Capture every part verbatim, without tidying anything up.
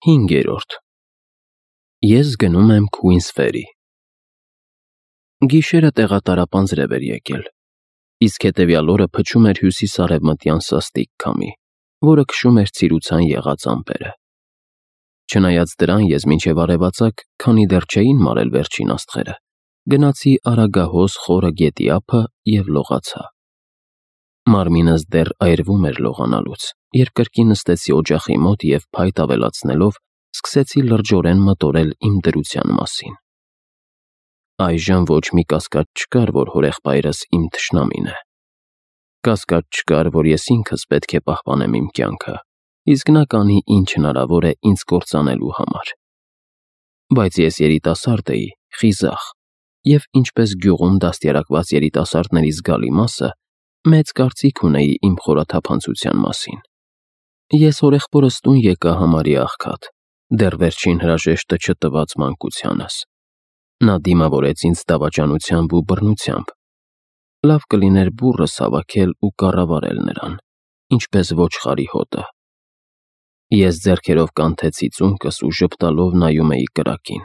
Հինգերորդ Ես գնում եմ Քուինսֆերի։ Գիշերը տեղատարապանձրև էր եկել, իսկ հետևյալ օրը փչում էր հյուսիս-արևմտյան սաստիկ քամի, որը քշում էր ցիրուցան եղած ամպերը։ Չնայած դրան ես մինչև արևածագ, քանի դեռ չէին մարել վերջին աստղերը, գնացի Արագահոս խորը գետի ափը և լողացա։ Մարմինս դեռ այրվում էր լողանալուց, երբ կրկին նստեցի օջախի մոտ և փայտ ավելացնելով, սկսեցի լրջորեն մտորել իմ դրության մասին։ Այժմ ոչ մի կասկած չկար, որ հորեղբայրս իմ թշնամին է։ Կասկած չկար, որ ես ինքս պետք է պահպանեմ իմ կյանքը, իսկ նա կանի ինչ հնարավոր է ինձ կործանելու համար։ Բայց ես երիտասարդ էի, խիզախ, և ինչպես գյուղում դաստիարակված երիտասարդների զգալի մասը, մեծ կարծիք ունեի իմ խորաթափանցության մասին։ Ես հորեղբորս տուն եկա համարյա աղքատ, դեռ վերջին հրաժեշտը չտված մանկությանս։ Նա դիմավորեց ինձ դավաճանությամբ ու բռնությամբ։ Լավ կլիներ բուռս հավաքել ու կառավարել նրան, ինչպես ոչխարի հոտը։ Ես ձեռքերով կանթեցի ծունկս ու ժպտալով նայում էի կրակին։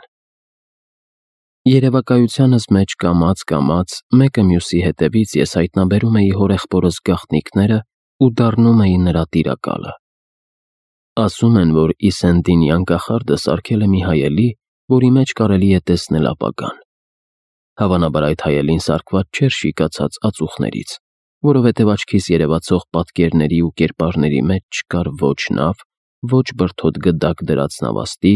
Երևակայությանս մեջ կամաց-կամաց, մեկը մյուսի հետևից ես հայտնաբերում էի հորեղբորս գաղտնիքները ու դառնում էի նրա տիրակալը։ Ասում են, որ Իսենդինյան կախարդը սարքել է մի հայելի, որի մեջ կարելի է տեսնել ապագան։ Հավանաբար այդ հայելին սարքված չէր շիկացած ածուխներից, որովհետև աչքիս երևացող պատկերների ու կերպարների մեջ չկար ոչ նավ, ոչ բրդոտ գդակ դրած նավաստի,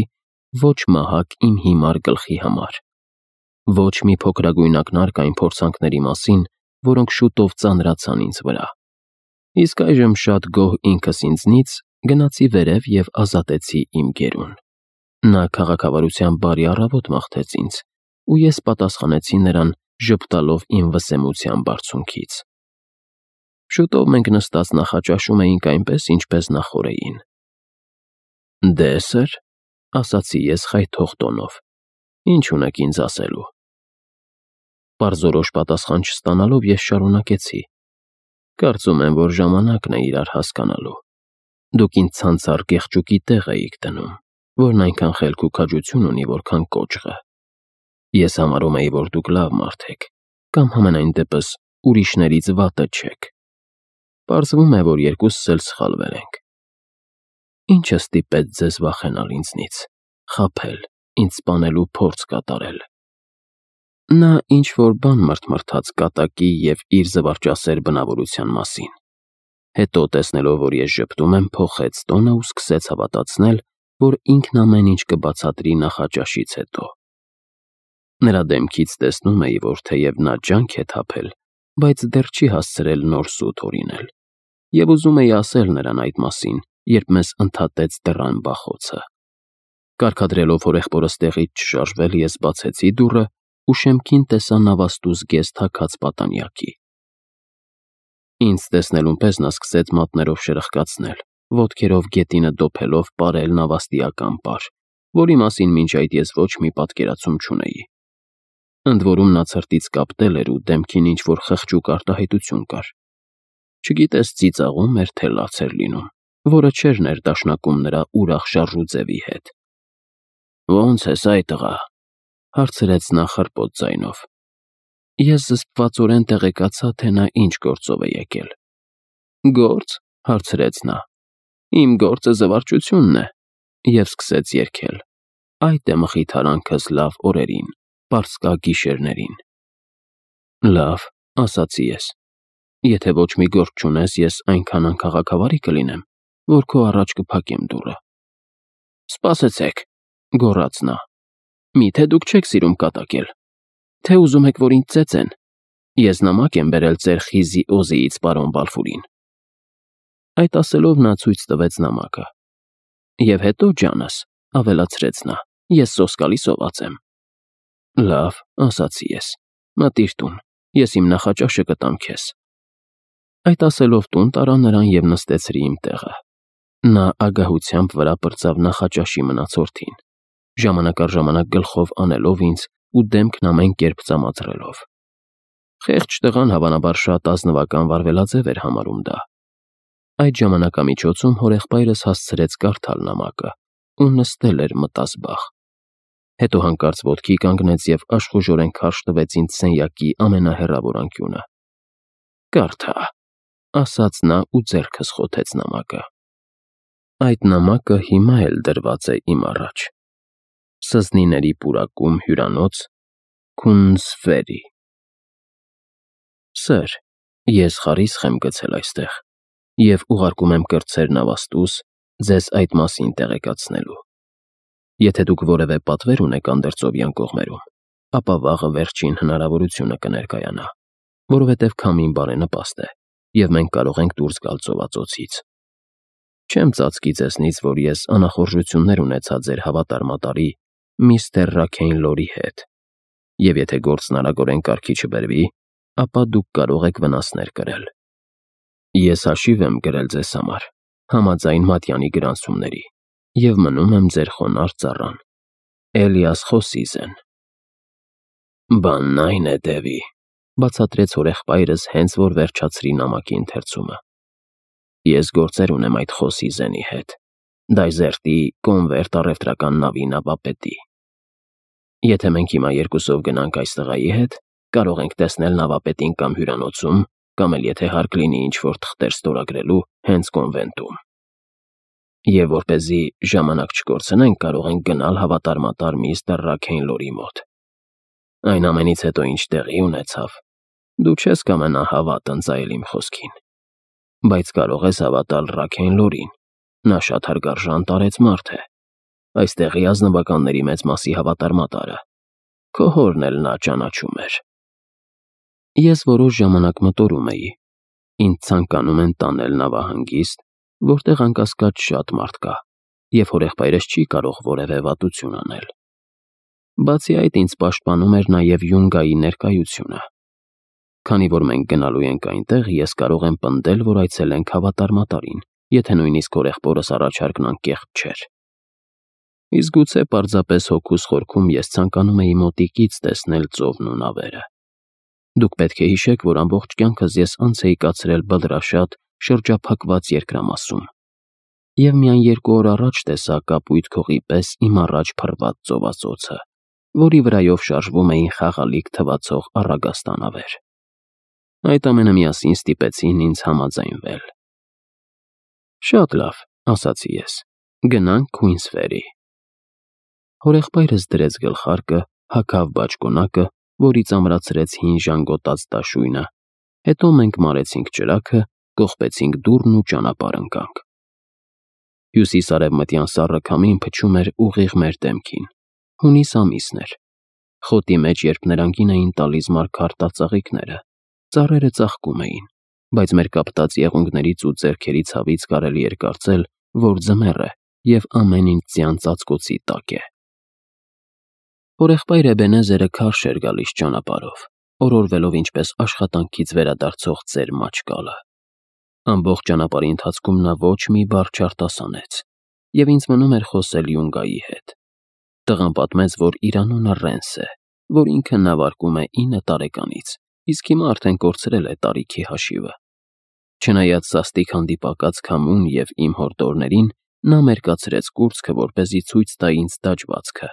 ոչ մահակ իմ հիմար գլխի համար, ոչ մի փոքրագույն ակնարկ այն փորձանքների մասին, որոնք շուտով ծանրացան ինձ վրա։ Իսկ այժմ շատ գոհ ինքս ինձնից գնացի վերև և ազատեցի իմ գերուն։ Նա քաղաքավարությամբ բարի առավոտ մաղթեց ինձ, ու ես պատասխանեցի նրան ժպտալով իմ վսեմության բարձունքից։ Շուտով մենք նստած նախաճաշում էինք այնպես, ինչպես նախօրեին։ «Դե, սըր», ասացի ես խայթող տոնով, «ինչ ունեք ինձ ասելու»։ Պարզորոշ պատասխան չստանալով ես շարունակեցի. «Կարծում եմ, որ ժամանակն է իրար հասկանալու։ Դուք ինձ ցանցառ կեղճուկի տեղ էիք դնում, որն այնքան խելք ու քաջություն ունի, որքան կոճղը։ Ես համարում էի, որ դուք լավ մարդ եք, կամ համենայն դեպս ուրիշներից վատը չեք։ Պարզվում է, որ երկուսս էլ սխալվել ենք։ Ի՞նչը ստիպեց ձեզ վախենալ ինձնից, խաբել, ինձ սպանելու փորձ կատարել»։ Նա ինչ-որ բան մրթմրթաց կատակի և իր զվարճասեր բնավորության մասին։ Հետո, տեսնելով, որ ես ժպտում եմ, փոխեց տոնը ու սկսեց հավատացնել, որ ինքն ամեն ինչ կբացատրի նախաճաշից հետո։ Նրա դեմքից տեսնում էի, որ թեև նա ջանք է թափել, բայց դեռ չի հասցրել նոր սուտ հորինել, և ուզում էի ասել նրան այդ մասին, երբ մեզ ընդհատեց դռան բախոցը։ Կարգադրելով հորեղբորս տեղից չշարժվել, ես բացեցի դուռը ու շեմքին տեսա նավաստու զգեստ հագած պատանյակի։ Ինձ տեսնելուն պես նա սկսեց մատներով շրխկացնել, ոտքերով գետինը դոփելով պարել նավաստիական պար, որի մասին մինչ այդ ես ոչ մի պատկերացում չունեի։ Ընդ որում նա ցրտից կապտել էր ու դեմքին ինչ-որ խղճուկ արտահայտություն կար։ Չգիտես ծիծաղում էր, թե լաց էր լինում, որը չէր ներդաշնակում նրա ուրախ շարժուձևի հետ։ «Ո՞նց ես, այ տղա», հարցրեց նա խռպոտ ձայնով։ Ես զսպվածորեն տեղեկացա, թե նա ինչ գործով է եկել։ «Գործ», հարցրեց նա։ «Իմ գործը զվարճությունն է», և սկսեց երգել։ «Այդ է մխիթարանքս լավ օրերին, պարսկա գիշերներին»։ «Լավ», ասացի ես, «եթե ոչ մի գործ չունես, ես այնքան անքաղաքավարի կլինեմ, որ քո առաջ կփակեմ դուռը»։ «Սպասեցեք», գոռաց նա, «միթե դուք չեք սիրում կատակել, թե ուզում եք, որ ինձ ծեծեն։ Ես նամակ եմ բերել ծեր խիզի Օզիից պարոն Բալֆուրին»։ Այդ ասելով նա ցույց տվեց նամակը։ «Եվ հետո, ջանս», ավելացրեց նա, «ես սոսկալի սոված եմ»։ «Լավ», ասացի ես, «մտիր տուն, ես իմ նախաճաշը կտամ քեզ»։ Այդ ասելով տուն տարա նրան և նստեցրի իմ տեղը։ Նա ագահությամբ վրա պրծավ նախաճաշի մնացորդին, ժամանակ առ ժամանակ գլխով անելով ինձ ու դեմքն ամեն կերպ ծամածրելով։ Խեղճ տղան հավանաբար շատ ազնվական վարվելաձև էր համարում դա։ Այդ ժամանակամիջոցում հորեղբայրս հասցրեց կարդալ նամակը, ու նստել էր մտազբաղ։ Հետո հանկարծ ոտքի կանգնեց և աշխուժորեն քարշ տվեց ինձ սենյակի ամենահեռավոր անկյունը։ «Կարդա», ասաց նա ու ձեռքս խոթեց նամակը։ Այդ նամակը հիմա էլ դրված է իմ առաջ։ Սզնիների պուրակում հյուրանոց, Քունզվերի։ Սըր, ես խարիսխ եմ գցել այստեղ և ուղարկում եմ կրտսեր նավաստուս ձեզ այդ մասին տեղեկացնելու։ Եթե դուք որևէ պատվեր ունեք անդերձովյան կողմերում, ապա վաղը վերջին հնարավորությունը կներկայանա, որովհետև քամին բարենպաստ է, և մենք կարող ենք դուրս գալ ծովածոցից։ Չեմ ծածկի ձեզնից, որ ես անախորժություններ ունեցա ձեր հավատարմատարի միստր Ռաքեյնլորի հետ, և եթե գործն արագորեն կարգի չբերվի, ապա դուք կարող եք վնասներ կրել։ Ես հաշիվ եմ գրել ձեզ համար, համաձայն Մատյանի գրանցումների, և մնում եմ ձեր խոնարհ ծառան, Էլիաս Խոսիզեն։ Բանն այն է, Դևի, բացատրեց հորեղբայրս, հենց որ վերջացրի նամակի ընթերցումը։ Ես գործեր ունեմ այդ Խոսիզենի հետ, Դայզերտի կոնվերտ առևտրական նավի նավապետի։ Եթե մենք հիմա երկուսով գնանք այս տղայի հետ, կարող ենք տեսնել նավապետին կամ հյուրանոցում, կամ էլ եթե հարկ լինի ինչ-որ թղթեր ստորագրելու հենց կոնվենտում։ Եվ որպեսզի ժամանակ չկորցնենք, կարող ենք գնալ հավատարմատար միստր Ռաքեյնլորի մոտ։ Այն ամենից հետո, ինչ տեղի ունեցավ, դու չես կամենա հավատ ընծայել իմ խոսքին, բայց կարող ես հավատալ Ռաքեյնլորին, նա շատ հարգարժան տարեց մարդ է, այստեղի ազնվականների մեծ մասի հավատարմատարը, քո հորն էլ նա ճանաչում էր։ Ես որոշ ժամանակ մտորում էի, ինձ ցանկանում են տանել նավահանգիստ, որտեղ անկասկած շատ մարդ կա, և հորեղբայրս չի կարող որևէ վատություն անել։ Բացի այդ, ինձ պաշտպանում էր նաև Յունգայի ներկայությունը։ Քանի որ մենք գնալու ենք այնտեղ, ես կարող եմ պնդել, որ այցելենք հավատարմատարին, եթե նույնիսկ հորեղբորս առաջարկն անկեղծ չէր։ Իսկ գուցե պարզապես հոգուս խորքում ես ցանկանում էի մոտիկից տեսնել ծովն ու նավերը։ Դուք պետք է հիշեք, որ ամբողջ կյանքս ես անց էի կացրել Բլրաշատ շրջափակված երկրամասում, և միայն երկու օր առաջ տեսա կապույտ քողի պես իմ առաջ փռված ծովածոցը, որի վրայով շարժվում էին խաղալիք թվացող առագաստանավեր։ Այդ ամենը միասին ստիպեցին ինձ համաձայնվել։ Շատ լավ, ասացի ես, գնանք Քուինսֆերի։ Հորեղբայրս դրեց գլխարկը, հագավ բաճկոնակը, որից ամրացրեց հին ժանգոտած դաշույնը, հետո մենք մարեցինք ճրագը, կողպեցինք դուռն ու ճանապարհ ընկանք։ Հյուսիս-արևմտյան սառը քամին փչում էր ուղիղ մեր դեմքին։ Հունիս ամիսն էր։ Խոտի մեջ, երբ նրանգին էին տալիս մարգար տածաղիկները, ծառերը ծաղկում էին, բայց մեր կապտած եղունգներից ու ձեռքերի ցավից կարելի էր կարծել, որ ձմեռ է և ամեն ինչ ձյան ծածկոցի տակ է։ Հորեղբայր Էբենեզերը քարշ էր գալիս ճանապարհով, օրորվելով ինչպես աշխատանքից վերադարձող ծեր մաչկալը։ Ամբողջ ճանապարհի ընթացքում նա ոչ մի բառ չարտասանեց, և ինձ մնում էր խոսել Յունգայի հետ։ Տղան պատմեց, որ իր անունը Ռենս է, որ ինքը նավարկում է ինը տարեկանից, իսկ հիմա արդեն կորցրել է տարիքի հաշիվը։ Չնայած սաստիկ հանդիպակաց քամուն և իմ հորդորներին, նա մերկացրեց կուրծքը, որպեսզի ցույց տա ինձ դաջվածքը։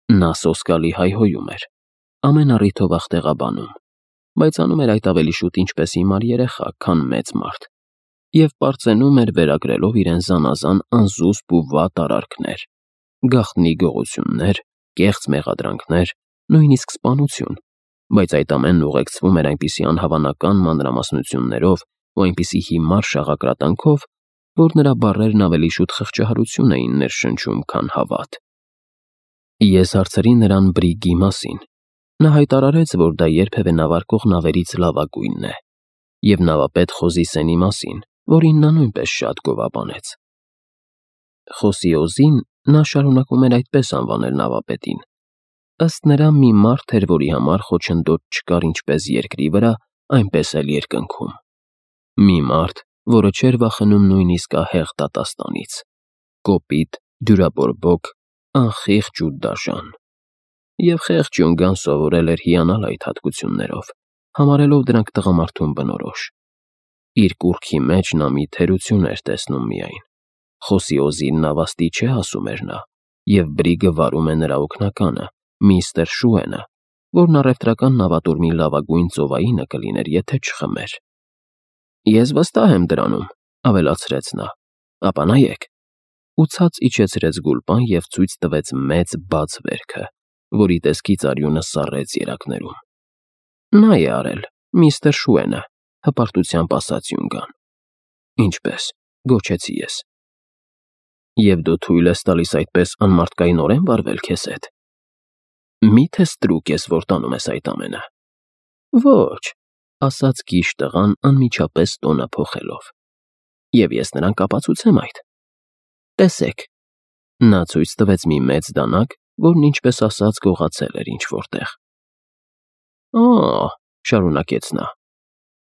Նա սոսկալի հայհոյում էր, ամեն առիթով ախտեղաբանում, բայց անում էր այդ ավելի շուտ ինչպես հիմար երեխա, քան մեծ մարդ, և պարծենում էր վերագրելով իրեն զանազան անզուսպ ու վատ արարքներ, գաղտնի գողություններ, կեղծ մեղադրանքներ, նույնիսկ սպանություն, բայց այդ ամենն ուղեկցվում էր այնպիսի անհավանական մանրամասնություններով ու այնպիսի հիմար շաղակրատանքով, որ նրա բառերն ավելի շուտ խղճահարություն էին ներշնչում, քան հավատ։ Ես հարցրի նրան բրիգի մասին։ Նա հայտարարեց, որ դա երբևէ նավարկող նավերից լավագույնն է, և նավապետ Խոզիսենի մասին, որին նա նույնպես շատ գովաբանեց։ Խոսիոզին նա շարունակում էր այդպես անվանել նավապետին։ Ըստ նրա, մի մարդ էր, որի համար խոչընդոտ չկար ինչպես երկրի վրա, այնպես էլ երկնքում։ Մի մարդ, որը չէր վախենում նույնիսկ ահեղ դատաստանից, կոպիտ, դյուրաբորբոք, անխիղճ ու դաժան։ Եվ խեղճ Յունգան սովորել էր հիանալ այդ հատկություններով, համարելով դրանք տղամարդուն բնորոշ։ Իր կուռքի մեջ նա մի թերություն էր տեսնում միայն, Խոսի Օզին նավաստի չէ ասում էր նա, և Բրիգը վարում է նրա օգնականը, միստր Շուենը, որն առևտրական նավատորմի լավագույն ծովայինը կլիներ, եթե չխմեր։ Ես վստահ եմ դրանում, ավելացրեց նա, ապա նայեք, ու ցած իջեցրեց գուլպան և ցույց տվեց մեծ բաց վերքը, որի տեսքից արյունը սառեց երակներում։ Նա է արել, միստր Շուենը, հպարտությամբ ասաց Յունգան։ Ինչպես, գոչեցի ես։ Եվ դու թույլ ես տալիս այդպես անմարդկայնորեն վարվել քեզ հետ։ Մի՞թե ստրուկ ես, որ տանում ես այդ ամենը։ Ոչ, ասաց կիշ տղան անմիջապես տոնը փոխելով։ Եվ ես նրան կապացուցեմ այդ։ Տեսեք։ Նա ցույց տվեց մի մեծ դանակ, որն ինչպես ասած գողացել էր ինչ-որտեղ։ Ա, շարունակեց նա։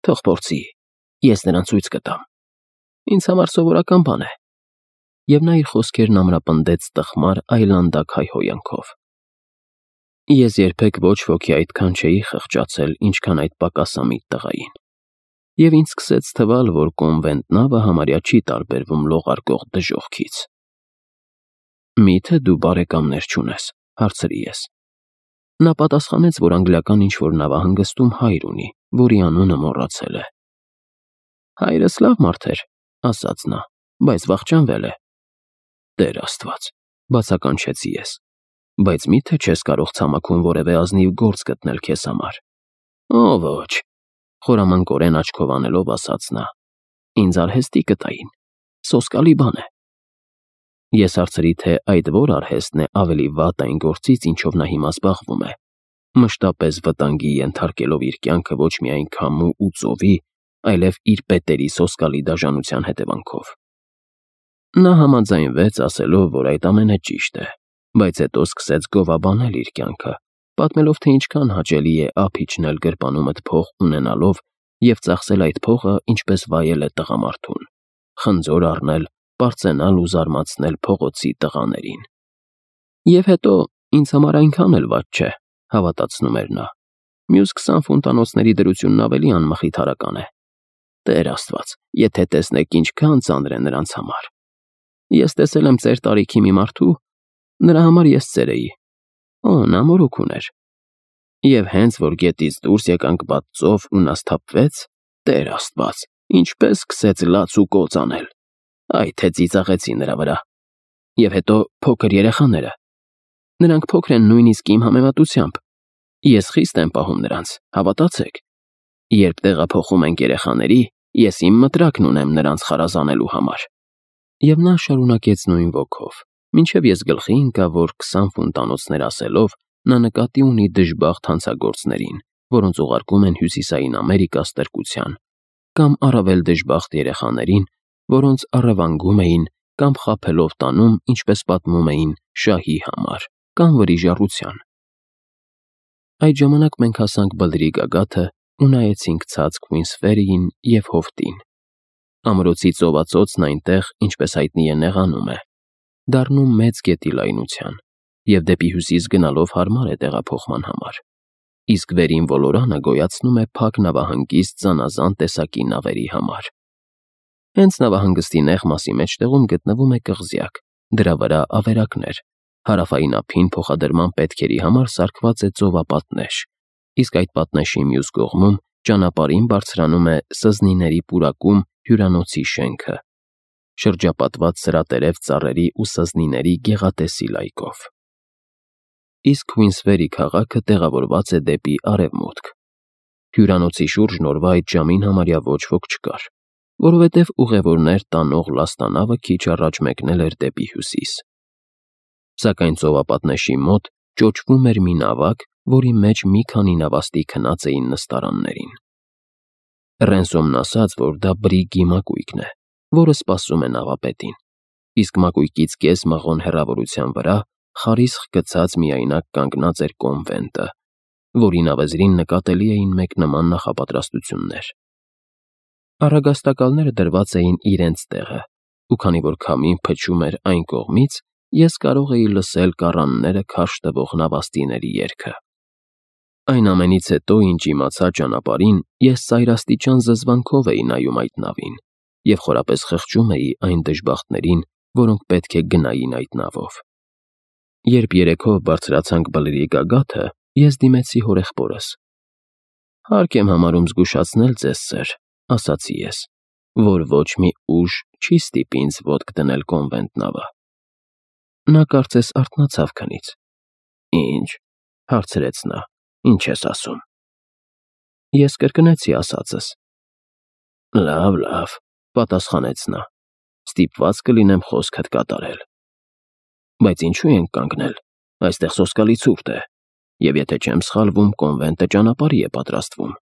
Թող փորձի, ես նրան ցույց կտամ։ Ինձ համար սովորական բան է։ Եվ նա իր խոսքերն ամրապնդեց տխմար այլանդակ հայհոյանքով։ Ես երբեք ոչ ոքի այդքան չէի խղճացել, ինչքան այդ պակասամիտ տղային։ Եվ ինձ սկսեց թվալ, որ կոնվենտ նավը համարյա չի տարբերվում լողարկող դժոխքից։ Մի՞թե դու բարեկամներ չունես, հարցրի ես։ Նա պատասխանեց, որ անգլիական ինչ-որ նավահանգստում հայր ունի, որի անունը մոռացել է։ Հայրս լավ մարդ էր, ասաց նա, բայց վախճանվել է։ Տեր Աստված, բացականչեցի ես, բայց մի՞թե չես կարող ցամաքում որևէ ազնիվ գործ գտնել քեզ համար։ Օ, ոչ, խորամանկորեն աչքով անելով ասաց նա, ինձ արհեստի կտային, սոսկալի բան է։ Ես հարցրի, թե այդ որ արհեստն է ավելի վատ այն գործից, ինչով նա հիմա զբաղվում է, մշտապես վտանգի ենթարկելով իր կյանքը ոչ միայն քամու ու ծովի, այլև իր պետերի սոսկալի դաժանության հետևանքով։ Նա համաձայնվեց, ասելով, որ այդ ամենը ճիշտ է, բայց հետո սկսեց գովաբանել իր կյանքը, պատմելով, թե ինչքան հաճելի է ափ իջնել գրպանումդ փող ունենալով և ծախսել այդ փողը, ինչպես վայել է տղամարդուն, խնձոր առնել, պարծենալ ու զարմացնել փողոցի տղաներին։ Եվ հետո ինձ համար այնքան էլ վատ չէ, հավատացնում էր նա։ Մյուս քսան ֆունտանոցների դրությունն ավելի անմխիթարական է։ Տեր Աստված, եթե տեսնեք ինչքան ծանր է նրանց համար։ Ես տեսել եմ ծեր տարիքի մի մարդու, նրա համար ես ծեր էի։ Օ, նա մորուք ուներ։ Եվ հենց որ գետից դուրս եկանք բաց ծով ու նա սթափվեց, Տեր Աստված, ինչպես սկսեց լաց ու կոծ անել։ Այ թե ծիծաղեցի նրա վրա։ Եվ հետո փոքր երեխաները։ Նրանք փոքր են նույնիսկ իմ համեմատությամբ։ Ես խիստ եմ պահում նրանց, հավատացեք։ Երբ տեղափոխում ենք երեխաների, ես իմ մտրակն ունեմ նրանց խարազանելու համար։ Եվ նա շարունակեց նույն ոգով, մինչև ես գլխի ընկա, որ քսան ֆունտանոցներ ասելով նա նկատի ունի դժբախտ հանցագործներին, որոնց ուղարկում են Հյուսիսային Ամերիկա ստրկության, կամ առավել դժբախտ երեխաներին, որոնց առևանգում էին կամ խաբելով տանում, ինչպես պատմում էին, շահի համար, կամ վրիժառության։ Այդ ժամանակ մենք հասանք բլրի գագաթը ու նայեցինք ցած Քվինսֆերիին և հովտին։ Ամրոցի ծովածոցն այնտեղ, ինչպես հայտնի է, նեղանում է, դառնում մեծ գետի լայնության, և դեպի հյուսիս գնալով հարմար է տեղափոխման համար, իսկ վերին ոլորանը գոյացնում է փակ նավահանգիստ զանազան տեսակի նավերի համար։ Հենց նավահանգստի նեղ մասի մեջտեղում գտնվում է կղզյակ, դրա վրա ավերակներ, հարավային ափին փոխադրման պետքերի համար սարքված է ծովապատնեշ, իսկ այդ պատնեշի մյուս կողմում ճանապարհին բարձրանում է սզնիների պուրակում հյուրանոցի շենքը, շրջապատված սրատերև ծառերի ու սզնիների գեղատեսիլ լայքով։ Իսկ Քվինսֆերի քաղաքը տեղավորված է դեպի արևմուտք։ Հյուրանոցի շուրջն օրվա այդ ժամին համարյա ոչ ոք չկար, որովհետև ուղևորներ տանող լաստանավը քիչ առաջ մեկնել էր դեպի հյուսիս։ Սակայն ծովապատնեշի մոտ ճոճվում էր մի նավակ, որի մեջ մի քանի նավաստի քնած էին նստարաններին։ Ռենսոմն ասաց, որ դա Բրիգի մակույկն է, որը սպասում է նավապետին, իսկ մակույկից կես մղոն հեռավորության վրա խարիսխ գցած միայնակ կանգնած էր կոնվենտը, որի նավեզրին նկատելի էին մեկ նման նախապատրաստություններ։ Առագաստակալները դրված էին իրենց տեղը, ու քանի որ քամին փչում էր այն կողմից, ես կարող էի լսել կառանները քարշ տվող նավաստիների երգը։ Այն ամենից հետո, ինչ իմացա ճանապարհին, ես ծայրաստիճան զզվանքով էի նայում այդ նավին, և խորապես խղճում էի այն դժբախտներին, որոնք պետք է գնային այդ նավով։ Երբ երեքով բարձրացանք բլրի գագաթը, ես դիմեցի հորեղբորս։ «Հարկ եմ համարում զգուշացնել ձեզ, սըր», ասացի ես, «որ ոչ մի ուժ չի ստիպի ինձ ոտք դնել կոնվենտ նավը»։ Նա կարծես արթնացավ քնից։ «Ի՞նչ», հարցրեց նա, «ինչ ես ասում»։ Ես կրկնեցի ասածս։ «Լավ, լավ», պատասխանեց նա, «ստիպված կլինեմ խոսքդ կատարել»։ «Բայց ինչու ենք կանգնել, այստեղ սոսկալի ցուրտ է, և եթե չեմ սխալվում, կոնվենտը ճանապարհի է պատրաստվում»։